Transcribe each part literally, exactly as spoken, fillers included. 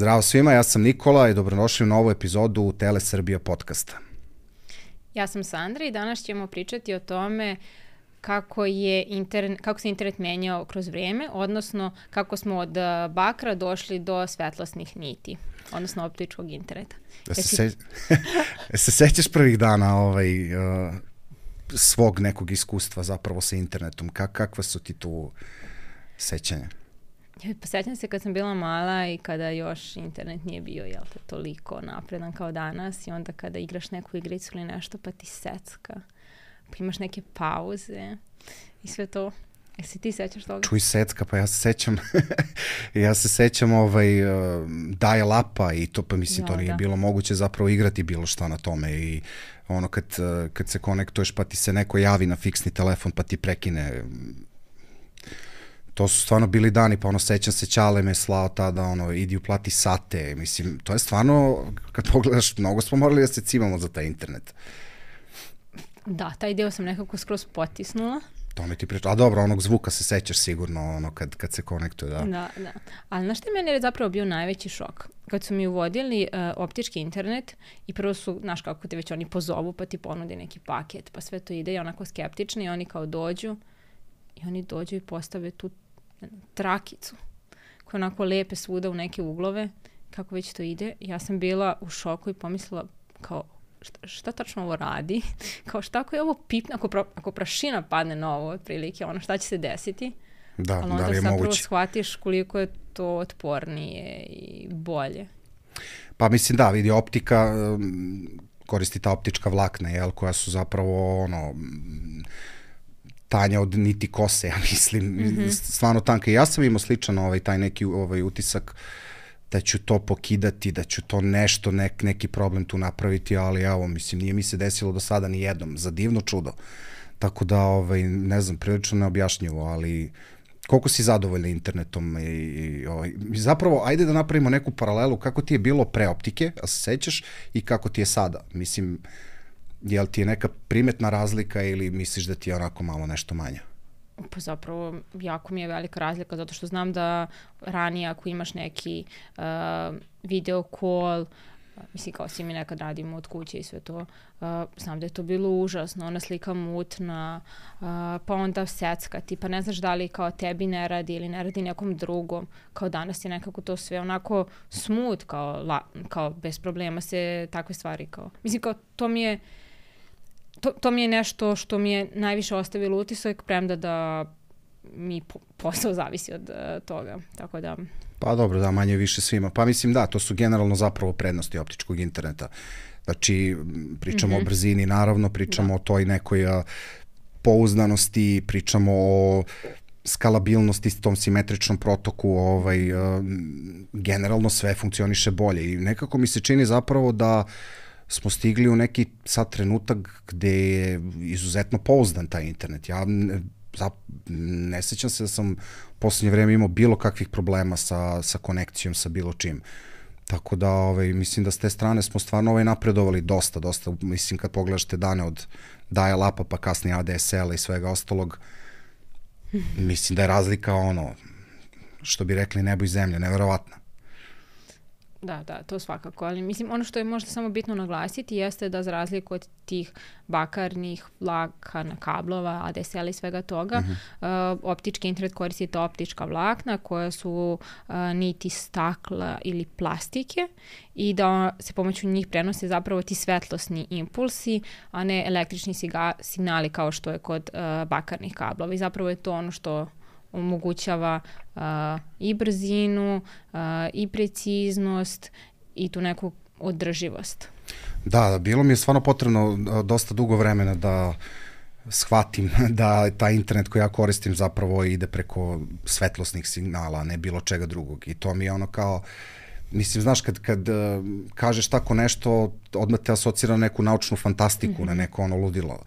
Zdravo svima, ja sam Nikola i dobrodošli u novu epizodu Tele Srbija podcasta. Ja sam Sandra i danas ćemo pričati o tome kako, je internet, kako se internet menjao kroz vrijeme, odnosno kako smo od bakra došli do svetlosnih niti, odnosno optičkog interneta. Da se, se... se sećaš prvih dana ovaj, uh, svog nekog iskustva zapravo sa internetom? Kak, kakva su ti tu sećanja? Pa sećam se kad sam bila mala i kada još internet nije bio, jel te, toliko napredan kao danas i onda kada igraš neku igricu ili nešto pa ti secka, pa imaš neke pauze i sve to. E si ti sećaš toga? Čuj, secka, pa ja se sećam, ja se sećam ovaj, uh, dial-upa i to, pa mislim, da, to nije da. bilo moguće zapravo igrati bilo šta na tome i ono kad, uh, kad se konektuješ pa ti se neko javi na fiksni telefon pa ti prekine. To su stvarno bili dani, pa ono, sećam se, Ćale me slao tada, ono, idi uplati sate, mislim, to je stvarno, kad pogledaš, mnogo smo morali da se cimamo za taj internet. Da, taj deo sam nekako skroz potisnula. To mi ti priča, a dobro, onog zvuka se sećaš sigurno, ono, kad, kad se konektuje, da. Da, da. Ali znaš što je meni je zapravo bio najveći šok? Kad su mi uvodili uh, optički internet i prvo su, znaš kako te već oni pozovu, pa ti ponude neki paket, pa sve to ide i onako skeptični i oni kao dođu i oni dođu i postave tu trakicu koje onako lepe svuda u neke uglove, kako već to ide. Ja sam bila u šoku i pomislila kao šta, šta tačno ovo radi? Kao šta ako je ovo pipne, ako, pra, ako prašina padne na ovo otprilike, ono šta će se desiti? Da, ali onda da li je zapravo moguće? shvatiš koliko je to otpornije i bolje. Pa mislim da, vidi, optika koristi ta optička vlakna, jel, koja su zapravo ono tanja od niti kose, ja mislim, mm-hmm. stvarno tanka. I ja sam imao sličan ovaj, taj neki ovaj, utisak da ću to pokidati, da ću to nešto, nek, neki problem tu napraviti, ali evo, mislim, nije mi se desilo do sada ni jednom, za divno čudo. Tako da, ovaj, ne znam, prilično neobjašnjivo, ali koliko si zadovoljna internetom i, i ovaj, zapravo, ajde da napravimo neku paralelu kako ti je bilo pre optike, a se sećaš, i kako ti je sada. Mislim, jel ti je neka primetna razlika ili misliš da ti je onako malo nešto manja? Pa zapravo jako mi je velika razlika zato što znam da ranije ako imaš neki uh, video call, mislim kao svi mi nekad radimo od kuće i sve to, uh, znam da je to bilo užasno, ona slika mutna, uh, pa onda seckati, pa ne znaš da li kao tebi ne radi ili ne radi nekom drugom, kao danas je nekako to sve onako smooth, kao, la, kao bez problema se takve stvari kao, mislim kao to mi je To, to mi je nešto što mi je najviše ostavilo utisak, premda da mi po, posao zavisi od uh, toga, tako da... Pa dobro, da, manje više svima. Pa mislim da, to su generalno zapravo prednosti optičkog interneta. Znači, pričamo mm-hmm. o brzini, naravno, pričamo da. o toj nekoj uh, pouzdanosti, pričamo o skalabilnosti, tom simetričnom protoku, ovaj, uh, generalno sve funkcioniše bolje i nekako mi se čini zapravo da smo stigli u neki sad trenutak gde je izuzetno pouzdan taj internet. Ja ne, za, ne sećam se da sam u poslednje vreme imao bilo kakvih problema sa, sa konekcijom, sa bilo čim. Tako da, ovaj, mislim da s te strane smo stvarno ovaj, napredovali dosta, dosta. Mislim, kad pogledaš te dane od dial-upa pa kasnije A D S L-a i svega ostalog, mislim da je razlika ono, što bi rekli nebo i zemlja, neverovatna. Da, da, to svakako, ali mislim ono što je možda samo bitno naglasiti jeste da za razliku od tih bakarnih vlakana, kablova, A D S L i svega toga, uh-huh. uh, optički internet koristi ta optička vlakna koja su uh, niti stakla ili plastike i da se pomoću njih prenose zapravo ti svetlosni impulsi, a ne električni siga, signali kao što je kod uh, bakarnih kablova i zapravo je to ono što omogućava uh, i brzinu, uh, i preciznost i tu neku održivost. Da, bilo mi je stvarno potrebno dosta dugo vremena da shvatim da taj internet koji ja koristim zapravo ide preko svetlosnih signala, a ne bilo čega drugog. I to mi je ono kao, mislim, znaš, kad, kad uh, kažeš tako nešto, odmah te asocira na neku naučnu fantastiku, mm-hmm. na neko ono ludilo.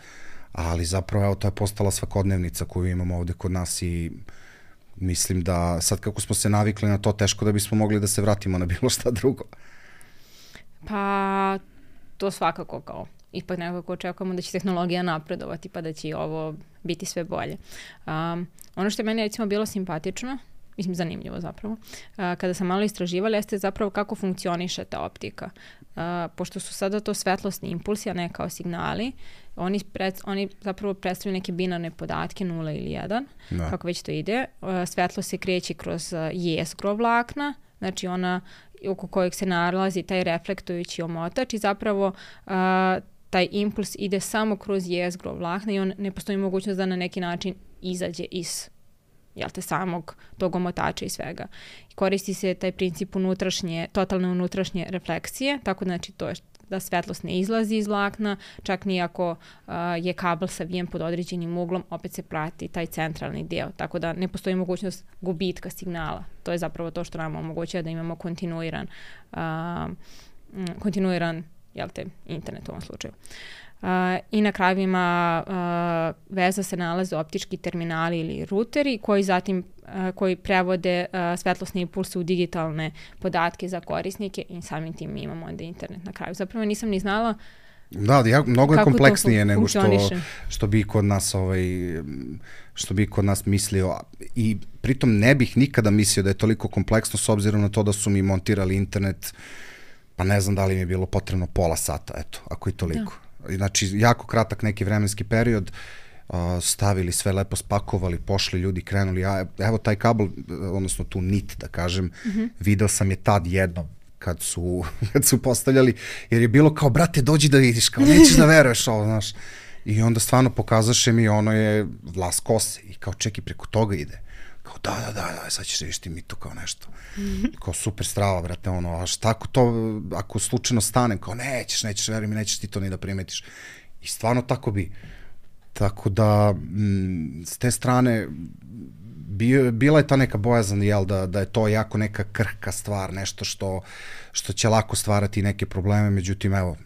Ali zapravo, evo, to je postala svakodnevnica koju imamo ovde kod nas i mislim da sad kako smo se navikli na to, teško da bismo mogli da se vratimo na bilo šta drugo. Pa, to svakako kao, ipak nekako očekujemo da će tehnologija napredovati pa da će ovo biti sve bolje. Um, ono što je meni recimo bilo simpatično mislim zanimljivo zapravo, uh, kada sam malo istraživala, jeste zapravo kako funkcioniše ta optika. Uh, pošto su sada to svetlosni impulsi, a ne kao signali, oni, pred, oni zapravo predstavljaju neke binarne podatke, nula ili jedan, da. Kako već to ide. Uh, svetlo se kreće kroz uh, jezgro vlakna, znači ona oko kojeg se nalazi taj reflektujući omotač i zapravo uh, taj impuls ide samo kroz jezgro vlakna i on ne postoji mogućnost da na neki način izađe iz jel te, samog tog omotača i svega. Koristi se taj princip unutrašnje, totalne unutrašnje refleksije, tako znači to je da svetlost ne izlazi iz vlakna, čak ni ako uh, je kabel savijen pod određenim uglom, opet se prati taj centralni deo, tako da ne postoji mogućnost gubitka signala. To je zapravo to što nam omogućuje da imamo kontinuiran, uh, kontinuiran jel te, internet u ovom slučaju. Uh, I na krajevima uh, veza se nalaze optički terminali ili ruteri koji zatim uh, koji prevode uh, svetlosne impulse u digitalne podatke za korisnike i samim tim mi imamo onda internet na kraju. Zapravo nisam ni znala Da, ja, mnogo je kompleksnije nego što, što bi kod nas ovaj, što bi kod nas mislio i pritom ne bih nikada mislio da je toliko kompleksno s obzirom na to da su mi montirali internet, pa ne znam da li mi je bilo potrebno pola sata, eto, ako i toliko. Da. Znači, jako kratak neki vremenski period, uh, stavili sve lepo, spakovali, pošli ljudi, krenuli, ja, evo taj kabel, odnosno tu nit, da kažem, mm-hmm. video sam je tad jednom, kad su, kad su postavljali, jer je bilo kao, brate, dođi da vidiš, kao, nećeš da veruješ ovo, znaš. I onda stvarno pokazaše mi, ono je vlas kose i kao, čeki, preko toga ide. Kao, da, da, da, da, sad ćeš revišti mi to kao nešto. Kao, super strava, brate, ono, a šta ako to, ako slučajno stanem, kao, nećeš, nećeš, veruj mi, nećeš ti to ni da primetiš. I stvarno tako bi. Tako da, m, s te strane, Bio, bila je ta neka bojazan, jel, da, da je to jako neka krhka stvar, nešto što, što će lako stvarati neke probleme, međutim, evo,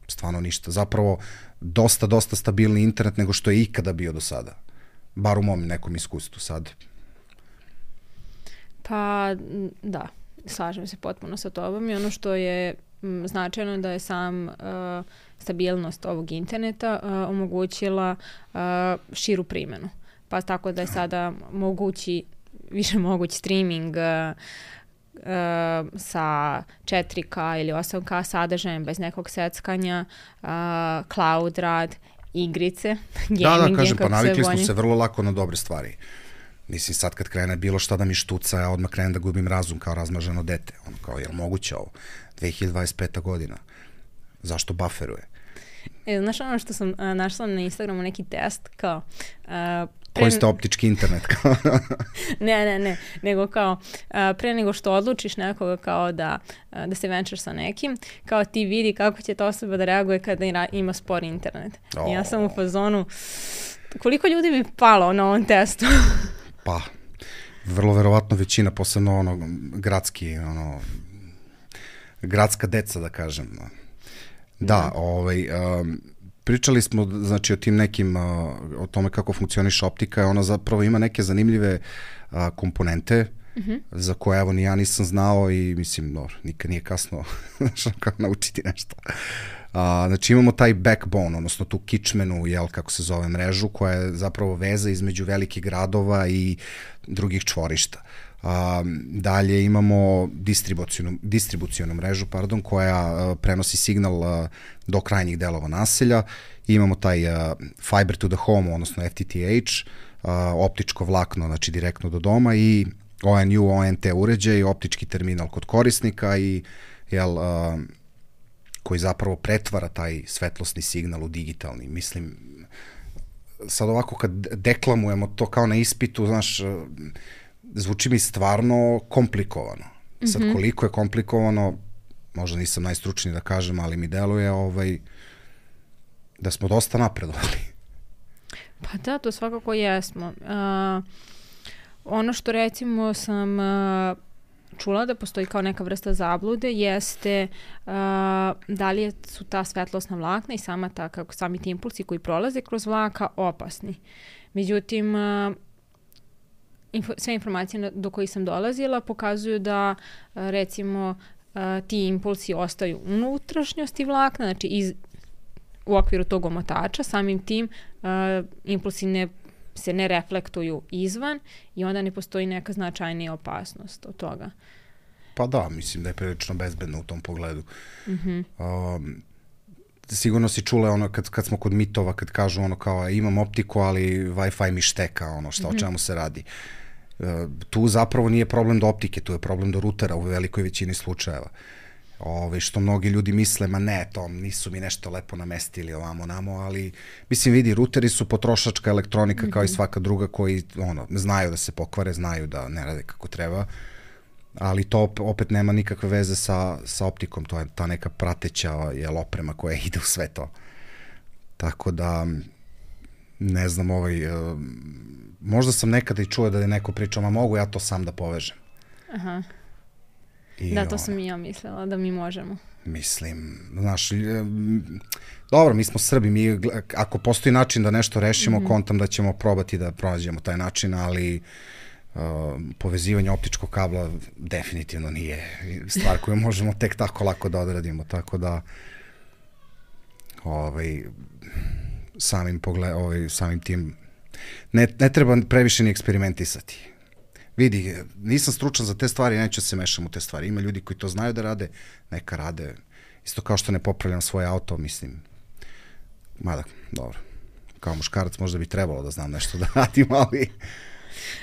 stvarno ništa. Zapravo, dosta, dosta stabilni internet nego što je ikada bio do sada. Bar u mom nekom iskustvu sad. Pa, da, slažem se potpuno sa tobom i ono što je m, značajno da je sam uh, stabilnost ovog interneta uh, omogućila uh, širu primjenu. Pa tako da je sada mogući, više moguć streaming uh, uh, sa četiri ka ili osam ka sadržajem bez nekog seckanja, uh, cloud rad, igrice, gaming. Da, da, kažem, pa navikli smo se vrlo lako na dobre stvari. Mislim, sad kad krene bilo šta da mi štuca, ja odmah krenem da gubim razum kao razmaženo dete. Ono kao, je li moguće ovo? dve hiljade dvadeset peta godina. Zašto bufferuje? E, znaš ono što sam uh, našla na Instagramu neki test kao... Uh, Koji ste optički internet? ne, ne, ne, nego kao uh, pre nego što odlučiš nekoga kao da, uh, da se venčaš sa nekim, kao ti vidi kako će ta osoba da reaguje kada ima spor internet. Oh. I ja sam u fazonu, koliko ljudi bi palo na ovom testu? Pa, vrlo verovatno većina, posebno ono, gradski, ono, gradska deca, da kažem. Da, da. ovaj... Um, Pričali smo, znači, o tim nekim, o tome kako funkcioniše optika, ona zapravo ima neke zanimljive a, komponente mm-hmm. za koje, evo, ni ja nisam znao i, mislim, dobro, nikad nije kasno naučiti nešto. A, znači, imamo taj backbone, odnosno tu kičmenu, jel, kako se zove, mrežu, koja je zapravo veza između velikih gradova i drugih čvorišta. A, dalje imamo distribucijonu, distribucijonu mrežu, pardon, koja a, prenosi signal a, do krajnjih delova naselja. I imamo taj a, fiber to the home, odnosno F T T H, a, optičko vlakno, znači direktno do doma i O N U, O N T uređaj, optički terminal kod korisnika i jel, a, koji zapravo pretvara taj svetlosni signal u digitalni. Mislim, sad ovako kad deklamujemo to kao na ispitu, znaš, zvuči mi stvarno komplikovano. Sad, mm-hmm. koliko je komplikovano, možda nisam najstručniji da kažem, ali mi deluje ovaj, da smo dosta napredovali. Pa da, to svakako jesmo. Uh, ono što recimo sam uh, čula da postoji kao neka vrsta zablude jeste uh, da li su ta svetlosna vlakna i sama ta, kako sami ti impulsi koji prolaze kroz vlaka opasni. Međutim, uh, Info, sve informacije do kojih sam dolazila pokazuju da recimo ti impulsi ostaju u unutrašnjosti vlakna, znači iz, u okviru tog omotača, samim tim uh, impulsi ne se ne reflektuju izvan i onda ne postoji neka značajnija opasnost od toga. Pa da, mislim da je prilično bezbedno u tom pogledu. Mm-hmm. Um, sigurno si čula ono kad, kad smo kod mitova, kad kažu ono kao imam optiku, ali Wi-Fi mi šteka, ono šta, mm-hmm. o čemu se radi. Uh, tu zapravo nije problem do optike, tu je problem do rutera u velikoj većini slučajeva. Ove, što mnogi ljudi misle, ma ne, to nisu mi nešto lepo namestili ovamo namo, ali mislim vidi, ruteri su potrošačka elektronika mm-hmm. kao i svaka druga koji ono, znaju da se pokvare, znaju da ne rade kako treba, ali to opet nema nikakve veze sa, sa optikom, to je ta neka prateća jel, oprema koja ide u sve to. Tako da, ne znam, ovaj, uh, možda sam nekada i čuo da je neko pričao, ma mogu ja to sam da povežem. Aha. I da, to ono, sam i ja mislila, da mi možemo. Mislim, znaš, dobro, mi smo Srbi, mi, ako postoji način da nešto rešimo, mm-hmm. kontam da ćemo probati da pronađemo taj način, ali uh, povezivanje optičkog kabla definitivno nije stvar koju možemo tek tako lako da odradimo, tako da ovaj, samim, pogled, ovaj, samim tim ne, ne treba previše ni eksperimentisati. Vidi, nisam stručan za te stvari, neću se mešam u te stvari. Ima ljudi koji to znaju da rade, neka rade. Isto kao što ne popravljam svoje auto, mislim. Mada, dobro. Kao muškarac možda bi trebalo da znam nešto da radim, ali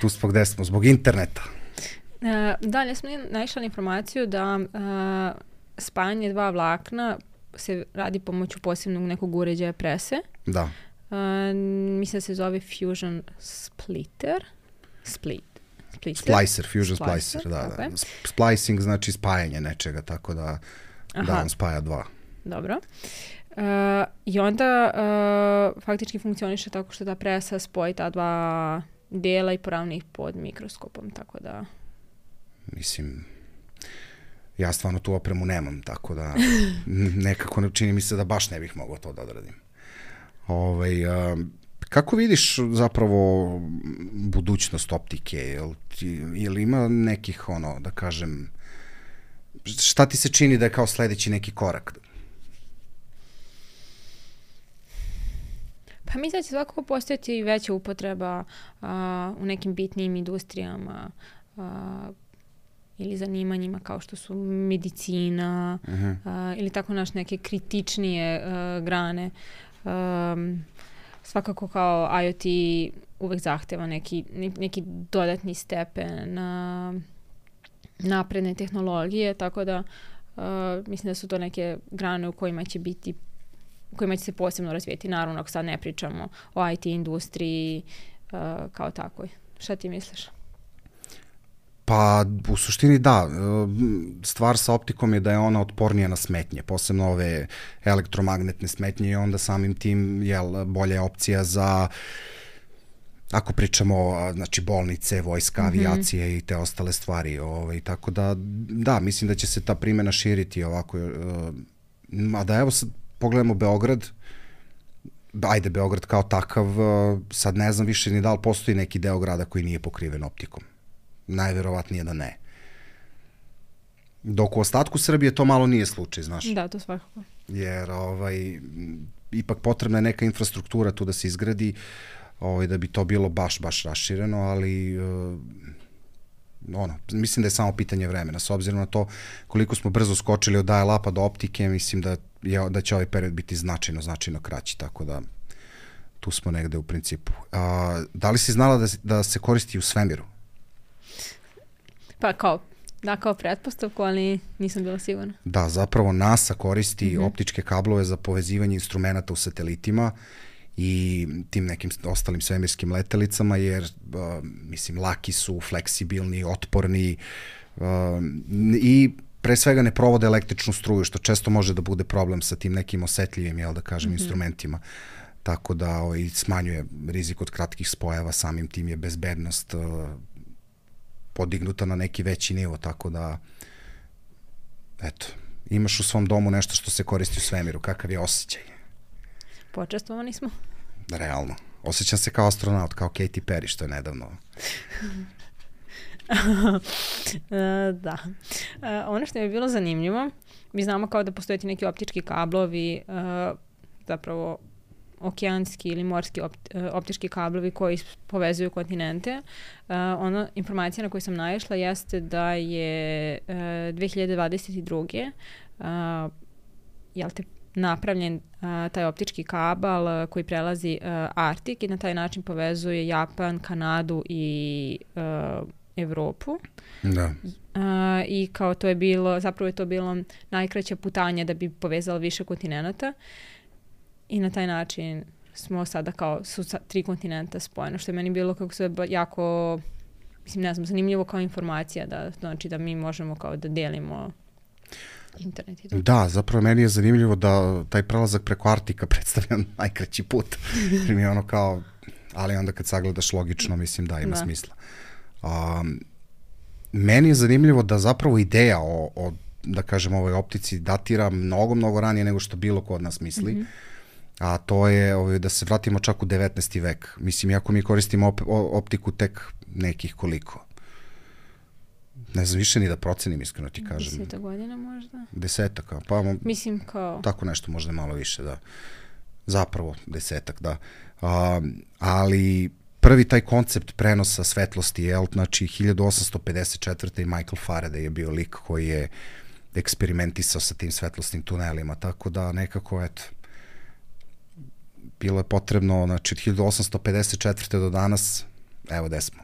tu smo gde smo, zbog interneta. E, dalje smo naišli na informaciju da a, spajanje dva vlakna se radi pomoću posebnog nekog uređaja prese. Da. A, mislim da se zove Fusion Splitter. Split. Splicer, Fusion Splicer, Splicer da, okay. da. Splicing znači spajanje nečega, tako da, da on spaja dva. Dobro. Uh, I onda uh, faktički funkcioniše tako što ta presa spoji ta dva dela i poravni ih pod mikroskopom, tako da... Mislim, ja stvarno tu opremu nemam, tako da nekako ne čini mi se da baš ne bih mogao to da odradim. Ovaj... Uh, Kako vidiš zapravo budućnost optike? Jel, jel ima nekih, ono, da kažem, šta ti se čini da je kao sledeći neki korak? Pa mislim da će svakako postojati veća upotreba a, u nekim bitnim industrijama a, ili zanimanjima kao što su medicina uh-huh. a, ili tako naš neke kritičnije a, grane. A, Svakako kao I O T uvek zahteva neki, neki dodatni stepen na napredne tehnologije, tako da uh, mislim da su to neke grane u kojima će biti, u kojima će se posebno razvijeti. Naravno, ako sad ne pričamo o I T industriji uh, kao takvoj. Šta ti misliš? Pa, u suštini da. Stvar sa optikom je da je ona otpornija na smetnje, posebno ove elektromagnetne smetnje i onda samim tim jel, bolja opcija za, ako pričamo, znači bolnice, vojska, mm-hmm. avijacije i te ostale stvari. Ovaj, tako da, da, mislim da će se ta primjena širiti ovako. A da evo sad pogledamo Beograd, ajde Beograd kao takav, sad ne znam više ni da li postoji neki deo grada koji nije pokriven optikom. Najverovatnije da ne. Dok u ostatku Srbije to malo nije slučaj, znaš. Da, to svakako. Jer ovaj, ipak potrebna je neka infrastruktura tu da se izgradi, ovaj, da bi to bilo baš, baš rašireno, ali uh, ono, mislim da je samo pitanje vremena. S obzirom na to koliko smo brzo skočili od dial-upa do optike, mislim da, je, da će ovaj period biti značajno, značajno kraći, tako da tu smo negde u principu. A, da li si znala da, da se koristi u svemiru? Pa kao, da, kao pretpostavku, ali nisam bila sigurna. Da, zapravo NASA koristi mm-hmm. optičke kablove za povezivanje instrumenta u satelitima i tim nekim ostalim svemirskim letelicama, jer, uh, mislim, laki su, fleksibilni, otporni uh, i pre svega ne provode električnu struju, što često može da bude problem sa tim nekim osetljivim, jel da kažem, mm-hmm. instrumentima. Tako da ovaj, smanjuje rizik od kratkih spojeva, samim tim je bezbednost uh, podignuta na neki veći nivo, tako da eto, imaš u svom domu nešto što se koristi u svemiru, kakav je osjećaj? Počestvovani smo. Realno. Osjećam se kao astronaut, kao Katy Perry, što je nedavno. uh, da. Uh, ono što je bilo zanimljivo, mi znamo kao da postoje ti neki optički kablovi, uh, zapravo okeanski ili morski opt, optički kablovi koji povezuju kontinente. Uh, ona informacija na koju sam naišla jeste da je uh, dve hiljade dvadeset druge. Uh, jel te napravljen uh, taj optički kabal uh, koji prelazi uh, Arktik i na taj način povezuje Japan, Kanadu i uh, Evropu. Da. Uh, I kao to je bilo, zapravo je to bilo najkraća putanja da bi povezalo više kontinenta i na taj način smo sada kao su tri kontinenta spojeno, što je meni bilo kako se jako, mislim ne znam, zanimljivo kao informacija da, znači da mi možemo kao da delimo internet i to. Da, zapravo meni je zanimljivo da taj prelazak preko Arktika predstavlja najkraći put. Mi je ono kao, ali onda kad sagledaš logično, mislim da ima da. smisla. Um, meni je zanimljivo da zapravo ideja o, o da kažem, ovoj optici datira mnogo, mnogo ranije nego što bilo ko od nas misli. Mm-hmm. A to je ovaj, da se vratimo čak u devetnaesti vek. Mislim, iako mi koristimo op, optiku tek nekih koliko. Ne znam više ni da procenim, iskreno ti kažem. Deseta godina možda? Desetak, pa mislim kao... Tako nešto, možda malo više, da. Zapravo desetak, da. A, ali prvi taj koncept prenosa svetlosti je, znači, hiljadu osamsto pedeset četvrte. i Michael Faraday je bio lik koji je eksperimentisao sa tim svetlosnim tunelima, tako da nekako, eto, bilo je potrebno, znači, od hiljadu osamsto pedeset četvrte. do danas, evo gde smo.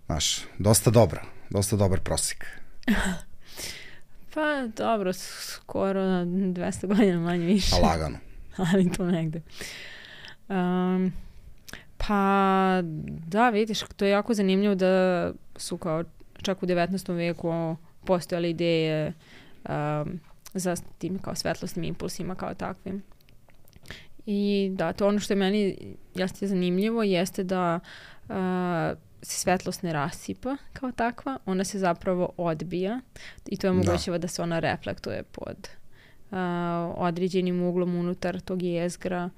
Znaš, dosta dobro, dosta dobar prosjek. Pa dobro, skoro na dvesta godina manje više. A lagano. Ali to negde. Um, pa da, vidiš, to je jako zanimljivo da su kao čak u devetnaestom veku postojale ideje um, za tim kao svetlosnim impulsima kao takvim. I da, to ono što je meni jeste zanimljivo jeste da uh, se svetlost ne rasipa kao takva, ona se zapravo odbija i to je omogućava da. da se ona reflektuje pod uh, određenim uglom unutar tog jezgra.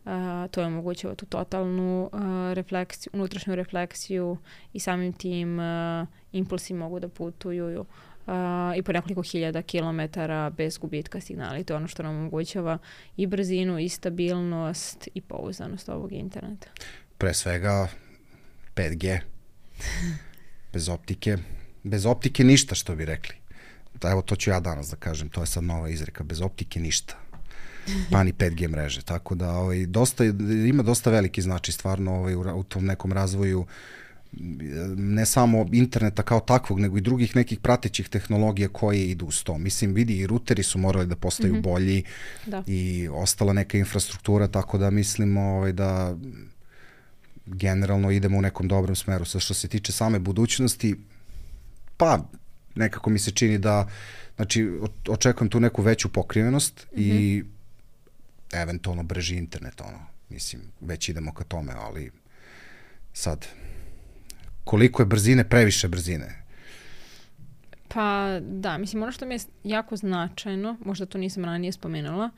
Uh, to je omogućava tu totalnu uh, refleksiju, unutrašnju refleksiju i samim tim uh, impulsi mogu da putuju uh, i po nekoliko hiljada kilometara bez gubitka signala. I to je ono što nam omogućava i brzinu, i stabilnost, i pouzdanost ovog interneta. Pre svega pet G. Bez optike. Bez optike ništa, što bi rekli. Da, evo, to ću ja danas da kažem. To je sad nova izreka. Bez optike ništa. Pa ni pet G mreže. Tako da ovaj, dosta, ima dosta veliki značaj stvarno ovaj, u, u tom nekom razvoju ne samo interneta kao takvog, nego i drugih nekih pratećih tehnologija koje idu uz to. Mislim, vidi, i ruteri su morali da postaju mm-hmm. bolji da. I ostala neka infrastruktura, tako da mislim ovaj, da generalno idemo u nekom dobrom smeru. Sa što se tiče same budućnosti, pa nekako mi se čini da, znači, očekujem tu neku veću pokrivenost mm-hmm. i eventualno brži internet, ono, mislim, već idemo ka tome, ali sad, koliko je brzine, previše brzine? Pa da, mislim, ono što mi je jako značajno, možda to nisam ranije spomenula,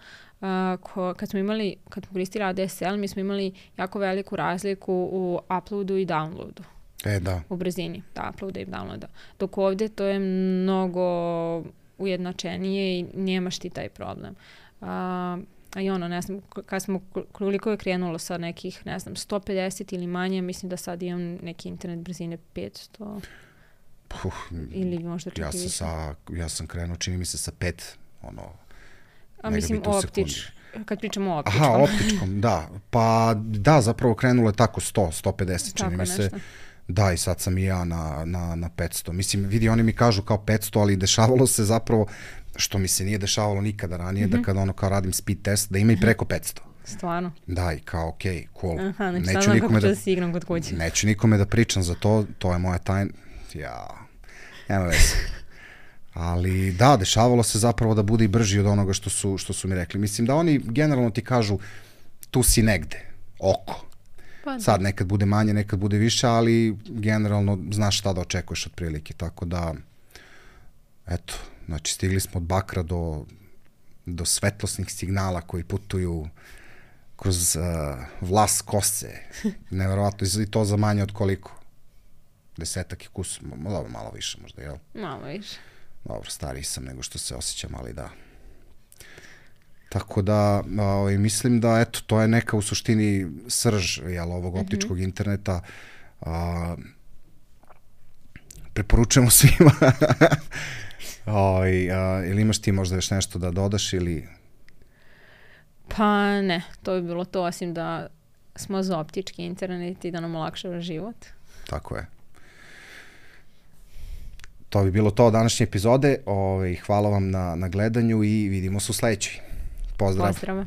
uh, ko, kad smo imali, kad smo koristili A D S L, mi smo imali jako veliku razliku u uploadu i downloadu. E, da. U brzini, da, uploada i downloada. Dok ovde to je mnogo ujednačenije i nemaš ti taj problem. Uh, a i ono, ne znam, kad smo, koliko je krenulo sa nekih, ne znam, sto pedeset ili manje, mislim da sad imam neki internet brzine petsto. Uh, ili možda čak ja sam, sa, ja sam krenuo, čini mi se, sa pet, ono, a mislim optič, kad pričamo o optičkom. Aha, optičkom, da. Pa da, zapravo krenulo je tako sto, sto pedeset, čini mi se. Da, i sad sam i ja na, na, na petsto. Mislim, vidi, oni mi kažu kao petsto, ali dešavalo se zapravo, što mi se nije dešavalo nikada ranije, mm-hmm. da kada ono kao radim speed test, da ima i preko petsto. Stvarno? Da, i kao, okej, okay, cool. Aha, znači neću nikome da, da si igram kod kuće. Neću nikome da pričam za to, to je moja tajna. Ja, nema veze. Ali da, dešavalo se zapravo da bude i brži od onoga što su, što su mi rekli. Mislim da oni generalno ti kažu tu si negde, oko. Pa, sad nekad bude manje, nekad bude više, ali generalno znaš šta da očekuješ otprilike. Tako da, eto, znači stigli smo od bakra do, do svetlosnih signala koji putuju kroz uh, vlas kose. Neverovatno, i to za manje od koliko? Desetak i kus, malo, malo više možda, jel? Malo više. Dobro, stariji sam nego što se osjećam, ali da. Tako da ovaj, mislim da eto, to je neka u suštini srž jel, ovog optičkog mm-hmm. interneta. A, preporučujemo svima. Oj, a, ili imaš ti možda još nešto da dodaš ili... Pa ne, to bi bilo to, osim da smo za optički internet i da nam olakšava život. Tako je. To bi bilo to od današnje epizode. Ove, hvala vam na, na gledanju i vidimo se u sledećoj. Pozdrav. Pozdrav.